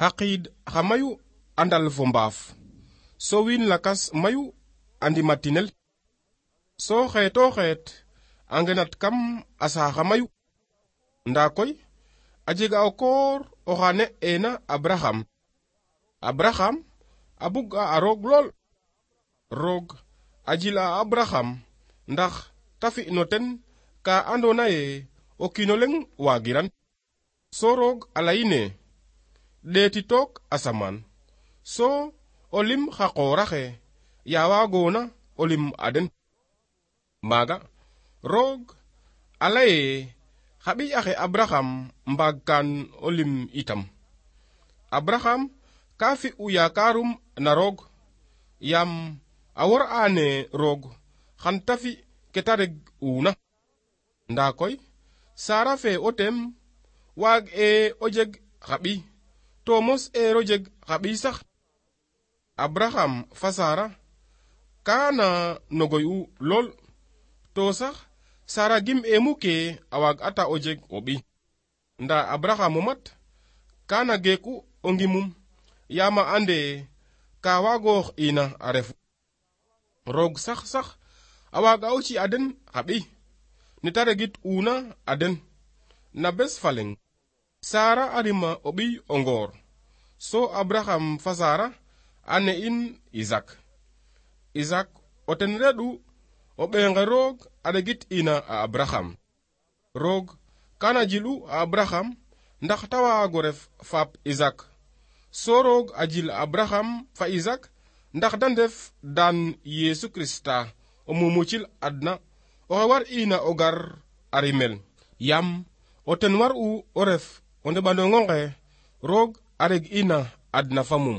Haqid xa mayu andal fo mbaaf so wiin lakas mayu andi matinel so xeeto xeet a ngenat kam a saaxa mayu nda koy a jega o koor oxa ne ena Abraham a bug a roog lool. Roog a jil a Abraham ndax ta fi no ten ka andona ye o kiino leŋ waagiran. So roog a leyine ɗeeti took asamaan so o lim xa qooraxe ya waagoona o lim a den. Maaga roog a leye xa ɓiy axe Abraham mbaag kaan o lim itam. Abraham ka fi'u yaakarum na roog yaam a wor aane roog xan ta fi ke ta reg uuna. Ndaa koy Sara fe o tem waag o jeg xa ɓiy to mos ero jeg xa ɓiy sax. Abraham fa Sara kaana nogoy u lool to sax Sara gim muke a waag ata o jeg o ɓiy. Nda Abraham o mat kaana geeku o ngimum yaama ande ka waagoox ina a refu. Roog sax a waaga o ci a den xa ɓiy ne ta regit uuna a den. Na bes fa leŋ Sara a rima o ɓiy o ngoor so Abraham fa Sara a ne'in Isak o ten reɗ'u o ɓeenge roog a regit ina a Abraham. Roog kana jil'u a Abraham ndax ta waago ref faap Isak so roog a jil a Abraham fa Isak ndax da ndef daan Yesu Krista o mumucil adna oxe war ina o gar a rimel yaam o ten war u o ref o ndeɓandong onge roog a reg ina adna fa mum.